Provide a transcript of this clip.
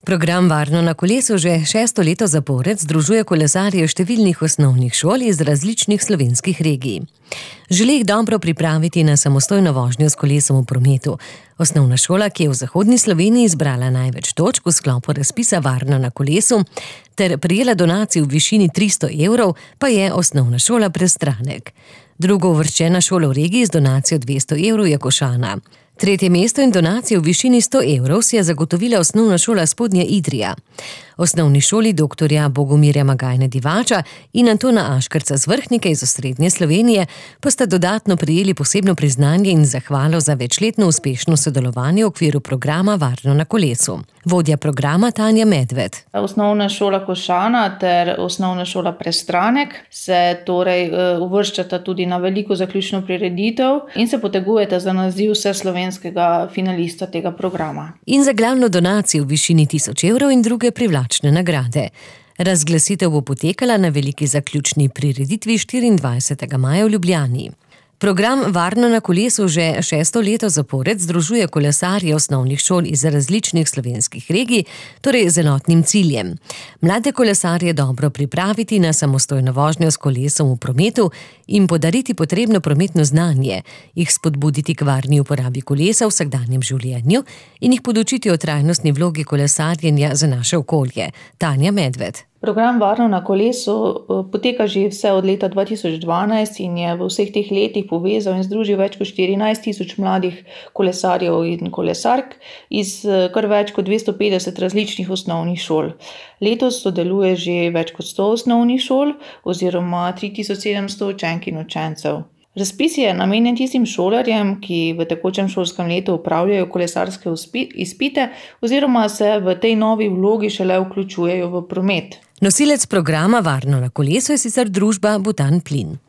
Program Varno na kolesu že 6. leto zapored združuje kolesarje številnih osnovnih šol iz različnih slovenskih regij. Želi jih dobro pripraviti na samostojno vožnjo s kolesom v prometu. Osnovna šola, ki je v zahodni Sloveniji zbrala največ točk v sklopu razpisa Varno na kolesu ter prejela donacij v višini 300 evrov, pa je osnovna šola Prestranek. Drugouvrščena šola v regiji z donacijo 200 evrov je Košana. Tretje mesto in donacijo v višini 100 evrov si je zagotovila osnovna šola Spodnja Idrija. Osnovni šoli doktorja Bogomirja Magajne Divača in Antona Aškerca z Vrhnike iz osrednje Slovenije pa sta dodatno prejeli posebno priznanje in zahvalo za večletno uspešno sodelovanje v okviru programa Varno na kolesu. Vodja programa Tanja Medved. Osnovna šola Košana ter osnovna šola Prestranek se torej uvrščata tudi na veliko zaključno prireditev in se potegujeta za naziv vseslovenskega finalista tega programa. In za glavno donacijo v višini 1000 evrov in druge privlačne nagrade. Razglasitev bo potekala na veliki zaključni prireditvi 24. maja v Ljubljani. Program Varno na kolesu že 6. leto zapored združuje kolesarje osnovnih šol iz različnih slovenskih regij, torej z enotnim ciljem. Mlade kolesarje dobro pripraviti na samostojno vožnjo s kolesom v prometu in podariti potrebno prometno znanje, jih spodbuditi k varni uporabi kolesa v vsakdanjem življenju in jih podučiti o trajnostni vlogi kolesarjenja za naše okolje. Tanja Medved. Program Varno na kolesu poteka že vse od leta 2012 in je v vseh teh letih povezal in združil več kot 14 000 mladih kolesarjev in kolesark iz kar več kot 250 različnih osnovnih šol. Letos sodeluje že več kot 100 osnovnih šol oziroma 3700 učenk in učencev. Razpis je namenjen tistim šolarjem, ki v tekočem šolskem letu opravljajo kolesarske izpite oziroma se v tej novi vlogi šele vključujejo v promet. Nosilec programa Varno na kolesu je sicer družba Butanplin.